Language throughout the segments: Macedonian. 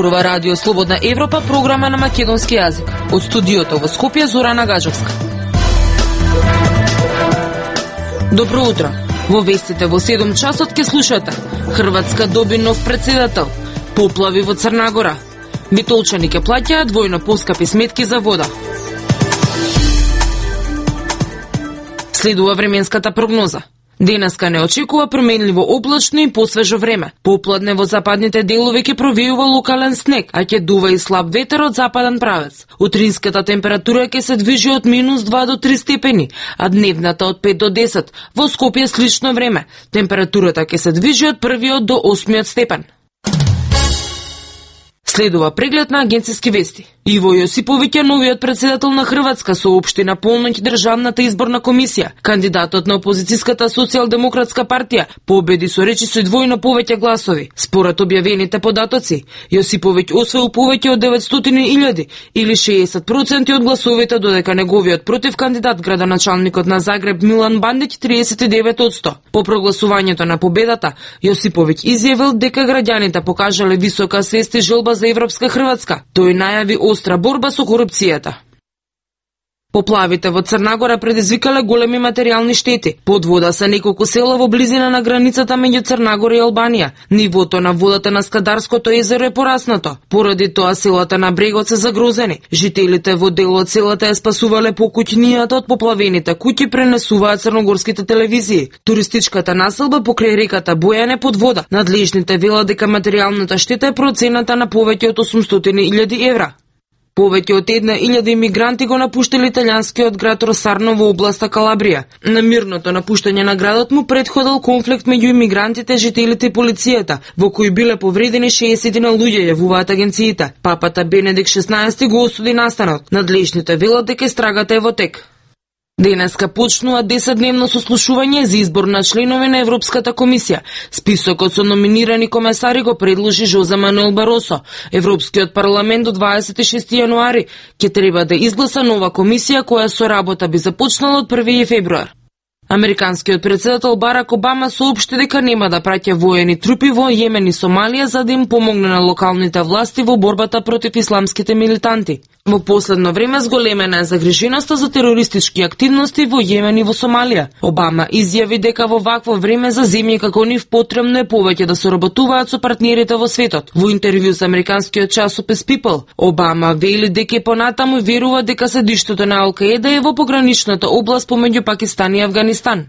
Зборува Радио Слободна Европа, програма на македонски јазик. Од студиото во Скопје, Зорана Гаджевска. Добро утро. Во вестите во 7 часот ке слушате: Хрватска доби нов председател, поплави во Црна Гора, битолчани ке плаќаат двојно поскапи сметки за вода. Следува временската прогноза. Денеска не очекува променливо облачно и посвежо време. Попладне во западните делови ќе провијува локален снег, а ќе дува и слаб ветер од западен правец. Утринската температура ќе се движи од -2 до 3 степени, а дневната од 5 до 10. Во Скопје слично време. Температурата ќе се движи од 1 до 8 степен. Следува преглед на агенциски вести. Иво Јосиповиќ е новиот председател на Хрватска, соопшти на полноќ Државната изборна комисија. Кандидатот на опозицијската социјалдемократска партија победи со речиси двојно повеќе гласови. Според објавените податоци, Јосиповиќ освоил повеќе од 900.000 или 60% од гласовите, додека неговиот против кандидат, градоначалникот на Загреб Милан Бандиќ, 39%. По прогласувањето на победата, Јосиповиќ изјавил дека граѓаните покажале висока свест и желба за европска Хрватска. Тој најави остра борба со корупцијата. Поплавите во Црна Гора предизвикале големи материјални штети. Под вода се неколку села во близина на границата меѓу Црна Гора и Албанија. Нивото на водата на Скадарското езеро е пораснато. Поради тоа селата на брегот се загрозени. Жителите во дел од селата ја спасувале покуќнијата од поплавените куќи, пренесуваат црногорските телевизии. Туристичката населба покрај реката Бојане под вода. Надлежните велат дека материјалната штета е процената на повеќе од 800.000 евра. Повеќе од 1.000 имигранти го напуштили италијанскиот град Росарно во областа Калабрија. На мирното напуштање на градот му предходил конфликт меѓу имигрантите, жителите и полицијата, во кој биле повредени 60 луѓе, јавуваат агенциите. Папата Бенедикт XVI го осуди настанот. Надлежните велат дека истрагата е во тек. Денеска почнува 10-дневно сослушување за избор на членови на Европската комисија. Списокот со номинирани комесари го предложи Жозе Мануел Баросо. Европскиот парламент до 26 јануари ќе треба да изгласа нова комисија која со работа би започнала од 1 февруар. Американскиот председател Барак Обама соопшти дека нема да праќа воени трупи во Јемен и Сомалија за да им помогне на локалните власти во борбата против исламските милитанти. Во последно време зголемена е загриженоста за терористички активности во Јемен и во Сомалија. Обама изјави дека во вакво време за земји како нив потребно е повеќе да соработуваат со партнерите во светот. Во интервју со американскиот часопис People, Обама вели дека понатаму верува дека седиштето на Ал-Каеда е во пограничната област помеѓу Пакистан и Авганистан.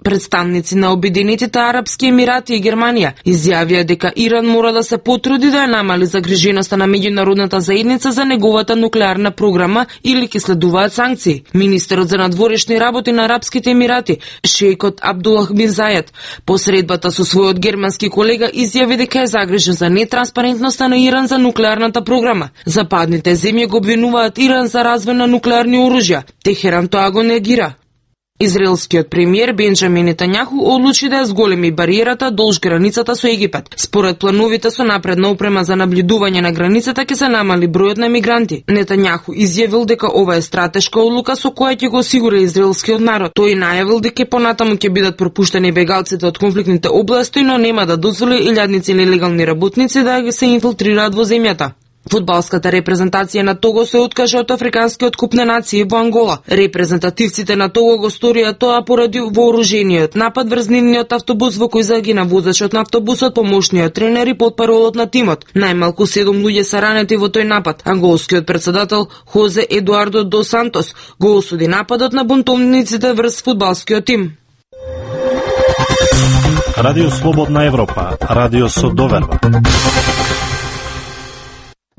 Представници на Обединетите арапски емирати и Германија изјавија дека Иран мора да се потруди да ја намали загриженоста на меѓународната заедница за неговата нуклеарна програма или ќе следуваат санкции. Министерот за надворешни работи на Арапските емирати, шејкот Абдулах бин Заед, по средбата со својот германски колега изјави дека е загрижен за нетранспарентноста на Иран за нуклеарната програма. Западните земји го обвинуваат Иран за развој на нуклеарни оружја. Техеран тоа го негира. Израелскиот премиер Бенџамин Нетањаху одлучи да ја зголеми бариерата долж границата со Египет. Според плановите со напредна опрема за наблюдување на границата ќе се намали бројот на мигранти. Нетањаху изјавил дека ова е стратешка одлука со која ќе го осигури израелскиот народ. Тој најавил дека понатаму ќе бидат пропуштени бегалците од конфликтните области, но нема да дозволи илјадници нелегални работници да се инфилтрираат во земјата. Фудбалската репрезентација на Того се откажа од Африканскиот куп на нации во Ангола. Репрезентативците на Того го сторија тоа поради вооружениот напад врз нивниот автобус во кој загина возачот на автобусот, помошниот тренер и потпаролот на тимот. Најмалку 7 луѓе се ранети во тој напад. Анголскиот председател Хозе Едуардо дос Сантос го осуди нападот на бунтовниците врз фудбалскиот тим. Радио Слободна Европа, радио со доверба.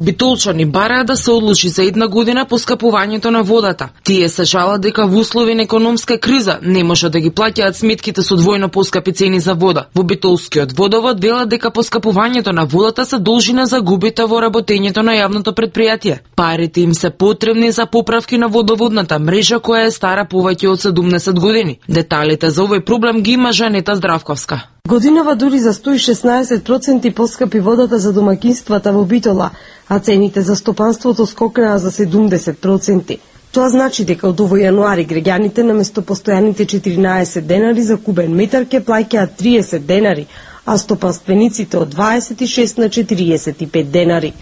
Битолчани бараат да се одлучи за 1 година поскапувањето на водата. Тие се жалат дека во услови на економска криза не може да ги плаќаат сметките со двојно поскапи цени за вода. Во Битолскиот водовод велат дека поскапувањето на водата се должи на загубите во работењето на јавното предпријатие. Парите им се потребни за поправки на водоводната мрежа која е стара повеќе од 70 години. Деталите за овој проблем ги има Жанета Здравковска. Годинава дури за 116% поскапи водата за домакинствата во Битола, а цените за стопанството скокнаа за 70%. Тоа значи дека од овој јануари граѓаните наместо постојаните 14 денари за кубен метар ќе плаќаат 30 денари, а стопанствениците од 26 на 45 денари.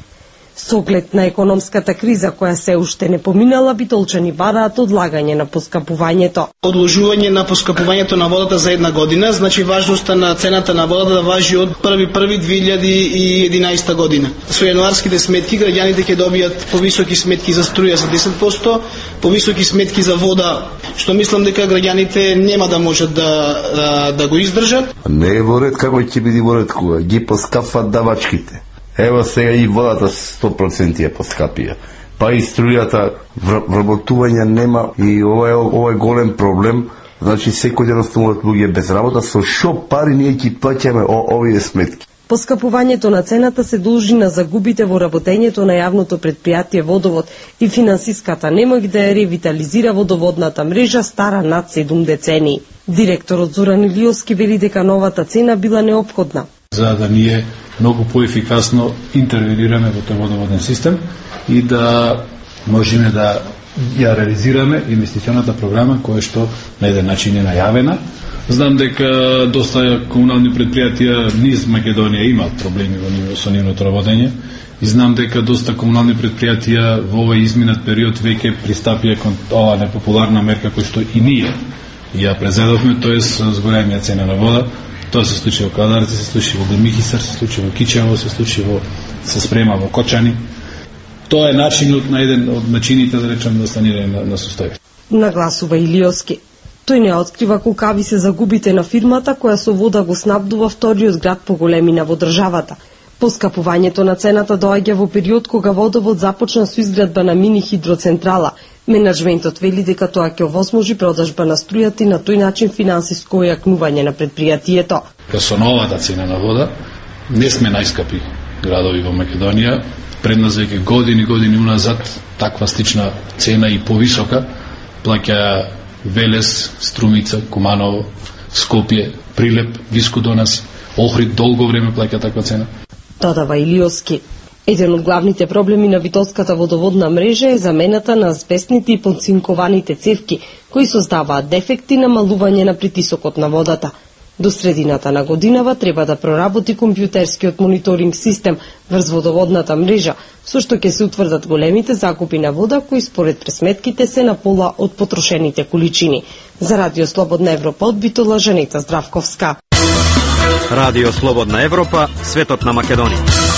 Со оглед на економската криза која се уште не поминала, битолчани бараат одлагање на поскапувањето. Одложување на поскапувањето на водата за една година, значи важноста на цената на водата да важи од 1.1.2011 година. Со јануарските сметки граѓаните ќе добијат повисоки сметки за струја за 10%, повисоки сметки за вода, што мислам дека граѓаните нема да можат да го издржат. Не е во ред, како ќе биде во ред кога ги поскапват давачките. Ево сега и водата 100% ја поскапија. Па и струјата, вработување нема и ова е голем проблем. Значи секој ден остануваат луѓе без работа, со шо пари ние ќе плаќаме овие сметки. Поскапувањето на цената се должи на загубите во работењето на јавното претпријатие Водовод и финансиската немоќ да ја ревитализира водоводната мрежа стара над 7 децении. Директорот Зоран Илиовски вели дека новата цена била неопходна. За да ние многу поефикасно интервенираме во тој водоводен систем и да можеме да ја реализираме инвестиционата програма која што на еден начин е најавена. Знам дека доста комунални предпријатија низ Македонија имаат проблеми со нивното работење и знам дека доста комунални предпријатија во овој изминат период веќе пристапија кон оваа непопуларна мерка која што и ние ја презедовме, тоест згорење цена на вода. Тоа се случи во Кадарци, се случи во Демихисар, се случи во Кичево, се спрема во Кочани. Тоа е начинот на еден од начините да речам да санирање на состојбите. Нагласува Илиовски. Тој не открива колкави се загубите на фирмата која со вода го снабдува вториот град по големина во државата. Поскапувањето на цената доаѓа во период кога Водовод започна со изградба на мини хидроцентрала. Менаџментот вели дека тоа ќе овозможи продажба на струјата и на тој начин финансиско ојакнување на предпријатието. Со новата цена на вода не сме најскапи градови во Македонија. Пред нас веќе години уназад таква слична цена и повисока плаќа Велес, Струмица, Куманово, Скопје, Прилеп, блиску до нас, Охрид долго време плаќа таква цена. Додава Илиовски. Еден од главните проблеми на Битолската водоводна мрежа е замената на азбестните и подцинкованите цевки, кои создаваат дефекти на намалување на притисокот на водата. До средината на годинава треба да проработи компјутерскиот мониторинг систем врз водоводната мрежа, со што ќе се утврдат големите закупи на вода кои според пресметките се на пола од потрошените количини. За Радио Слободна Европа од Битола, Жанета Здравковска. Радио Слободна Европа, светот на Македонија.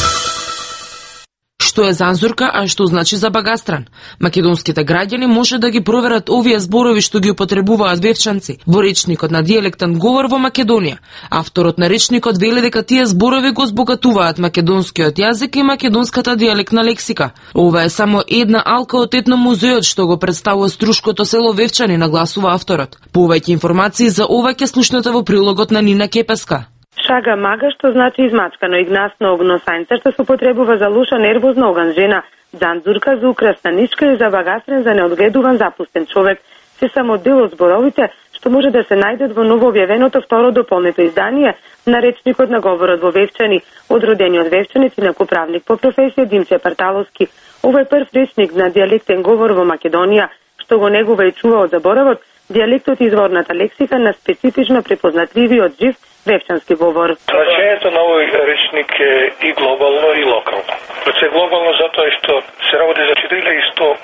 Што е занзурка, а што значи за багастран? Македонските граѓани може да ги проверат овие зборови што ги употребуваат вевчанци во речникот на дијалектен говор во Македонија. Авторот на речникот вели дека тие зборови го збогатуваат македонскиот јазик и македонската дијалектна лексика. Ова е само една алка од етномузеот што го представува струшкото село Вевчани, нагласува авторот. Повеќе информации за ова ќе слушнете во прилогот на Нина Кепеска. Шага мага, што значи измачкано и гнасно огносајнце, што се употребува за луша нервозна оган жена, дзанзурка за украсна нишка и за багастрен за неодгледуван запустен човек, се само дел од зборовите што може да се најдат во новообјавеното второ дополнето издание на речникот на говорот во Вевчани, од родениот вевчанец и накоправник по професија Димче Парталовски. Ова е прв речник на дијалектен говор во Македонија, што го негува и чува од заборавот, дијалектот и изворната лексика на специфично препознатливиот жив вевчански говор. Значењето на овој речник е и глобално и локално. Пред глобално затоа што се работи за 4100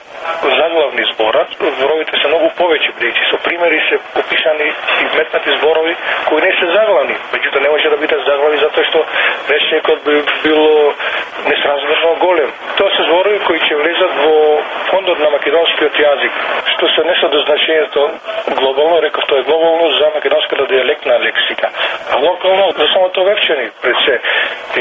заглавни збора, зборовите се многу повеќе, бидејќи со примери се описани и вметнати зборови кои не се заглавни, меѓутоа не може да бидат заглави затоа што речникот би било несразмерно голем. Тоа се зборови кои ќе влезат во фондот на македонскиот јазик, што се несат до значењето глобално, реков тоа е глобално за македонската дијалектна лексика. А локално за самото Вевчани, пред се.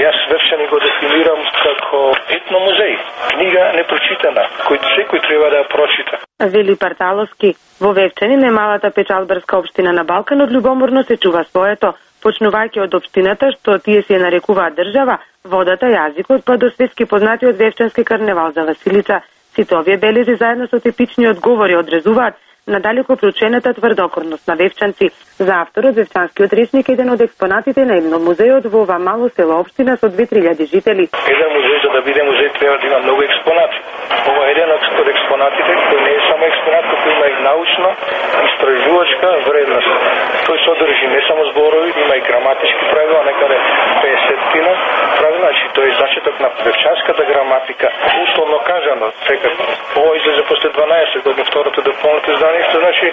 Јас Вевчани го дефинирам како етномузеј, книга непрочитана, кој секој треба да ја прочита. Вели Парталовски, во Вевчани, немалата печалбарска општина на Балканот, љубоморно се чува своето, почнувајќи од општината што тие се нарекуваат држава, водата, јазикот, па до светски познатиот вевчански карневал за Василица. Сите овие белези заедно со типичниот говори одрезуваат надалеко проучената тврдокорност на вевчанци. За авторот, вевчанскиот речник е еден од експонатите на етномузеот во ова мало село општина со 2-3 жители. Еден музеј, за да биде музеј, треба да има многу експонати. Ова е еден од експонатите, кој не е само експонат, кој има и научна, истражувачка вредност. Тој содржи не само зборови, има и граматички правила, некаде 50 правила, значи тој зачеток на певчарската граматика, условно кажано, сега ова излезе после 12 години, второто дополнително издание, што значи,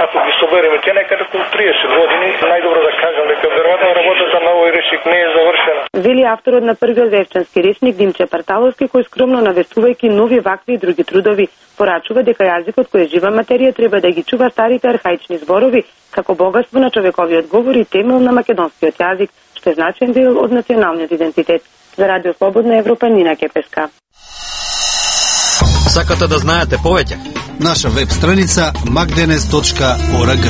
ако ги собереме те некаде околу 30 години, најдобро да кажам дека веројатно работата на овој речник не е завршена. Вели авторот на првиот вевчански речник Димче Парталовски, кој скромно навестувајќи нови вакви и други трудови, порачува дека јазикот кој е жива материја треба да ги чува старите архаични зборови како богатство на човековиот говор и темел на македонскиот јазик, што е значаен дел од националниот идентитет. За Радио Слободна Европа, Нина Кепеска. Сакате да знаете повеќе? Наша веб страница magdenes.org.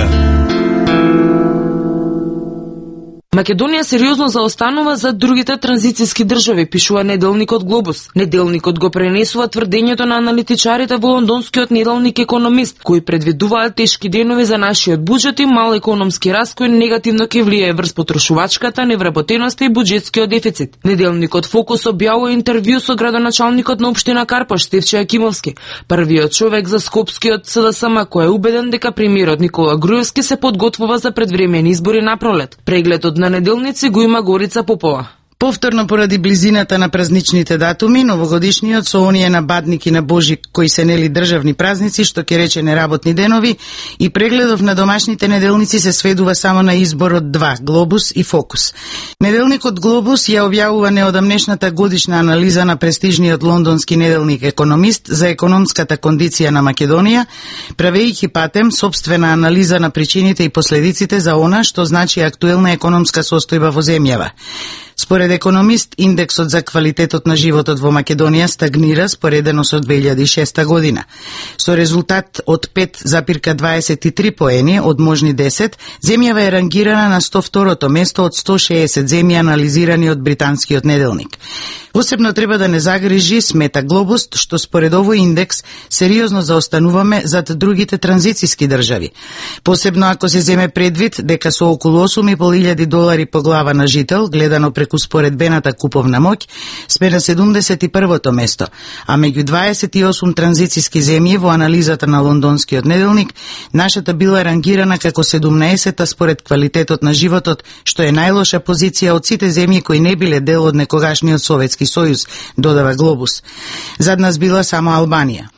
Македонија сериозно заостанува за другите транзицијски држави, пишува неделникот Глобус. Неделникот го пренесува тврдењето на аналитичарите во лондонскиот неделник Економист, кои предвидуваат тешки денови за нашиот буџет и мал економски раст кој негативно ќе влијае врз потрошувачката, невработеноста и буџетскиот дефицит. Неделникот Фокус објавува интервју со градоначалникот на општина Карпош, Стефче Јакимовски, првиот човек за Скопскиот СДСМ кој е убеден дека премиерот Никола Груевски се подготвува за предвремени избори на пролет. Прегледот на неделници го има Горица Попова. Повторно поради близината на празничните датуми, новогодишниот со оние на Бадник и на Божик кои се нели државни празници, што ќе рече неработни денови, и прегледов на домашните неделници се сведува само на изборот 2, Глобус и Фокус. Неделникот Глобус ја објавува неодамнешната годишна анализа на престижниот лондонски неделник Економист за економската кондиција на Македонија, правејќи патем собствена анализа на причините и последиците за она што значи актуелна економска состојба во земјава. Според Економист, индексот за квалитетот на животот во Македонија стагнира споредено со 2006 година. Со резултат од 5,23 поени од можни 10, земјава е рангирана на 102-то место од 160 земји анализирани од британскиот неделник. Посебно треба да не загрижи, смета Глобус, што според овој индекс сериозно заостануваме зад другите транзицијски држави. Посебно ако се земе предвид дека со околу $8.500 по глава на жител, гледано преку споредбената куповна моќ, сме на 71-то место, а меѓу 28 транзицијски земји во анализата на лондонскиот неделник, нашата била рангирана како 17-та според квалитетот на животот, што е најлоша позиција од сите земји кои не биле дел од некогашниот Советски сојуз, додава Глобус. Зад нас била само Албанија.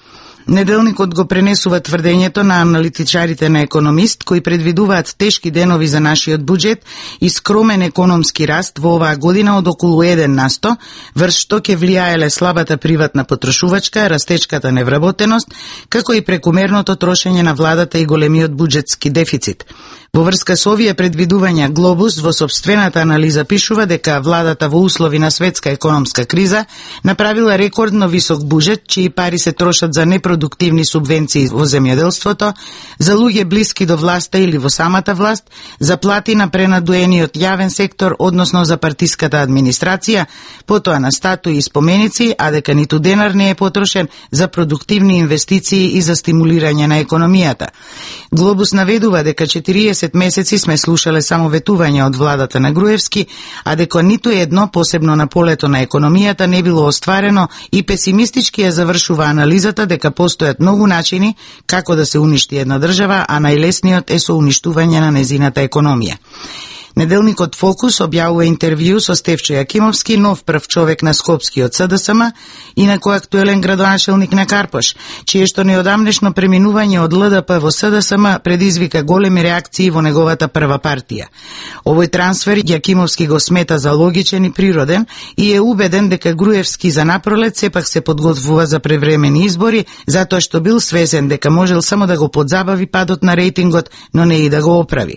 Неделникот го пренесува тврдењето на аналитичарите на Економист, кои предвидуваат тешки денови за нашиот буџет и скромен економски раст во оваа година од околу 1%, врз што ќе влијаеле слабата приватна потрошувачка, растечката невработеност, како и прекумерното трошење на владата и големиот буџетски дефицит. Во врска со овие предвидувања, Глобус во собствената анализа пишува дека владата во услови на светска економска криза направила рекордно висок буџет, чии пари се трошат за непродуктивни субвенции во земјоделството, за луѓе блиски до власта или во самата власт, за плати на пренадуениот јавен сектор, односно за партиската администрација, потоа на статуи и споменици, а дека ниту денар не е потрошен за продуктивни инвестиции и за стимулирање на економијата. Глобус наведува дека 40 месеци сме слушале само ветувања од владата на Груевски, а дека ниту едно, посебно на полето на економијата, не било остварено и песимистички ја завршува анализата дека постојат многу начини како да се уништи една држава, а најлесниот е со уништување на незината економија. Неделникот Фокус објавува интервју со Стефче Јакимовски, нов прв човек на Скопскиот СДСМ, инаку актуелен градоначелник на Карпош, чиешто неодамнешно преминување од ЛДП во СДСМ предизвика големи реакции во неговата прва партија. Овој трансфер Јакимовски го смета за логичен и природен и е убеден дека Груевски за напролет сепак се подготвува за превремени избори, затоа што бил свесен дека можел само да го подзабави падот на рейтингот, но не и да го оправи.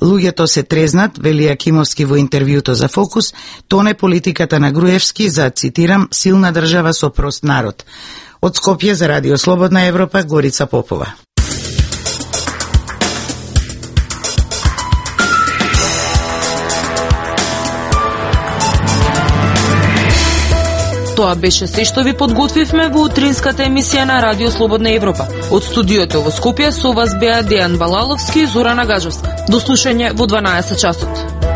Луѓето се трезнат, вели Јакимовски во интервјуто за Фокус, тоне политиката на Груевски за, цитирам, силна држава со прост народ. Од Скопје за Радио Слободна Европа, Горица Попова. Тоа беше се што ви подготвивме во утринската емисија на Радио Слободна Европа. Од студиото во Скопје со вас беа Дејан Балаловски и Зорана Гаджовска. До слушање во 12 часот.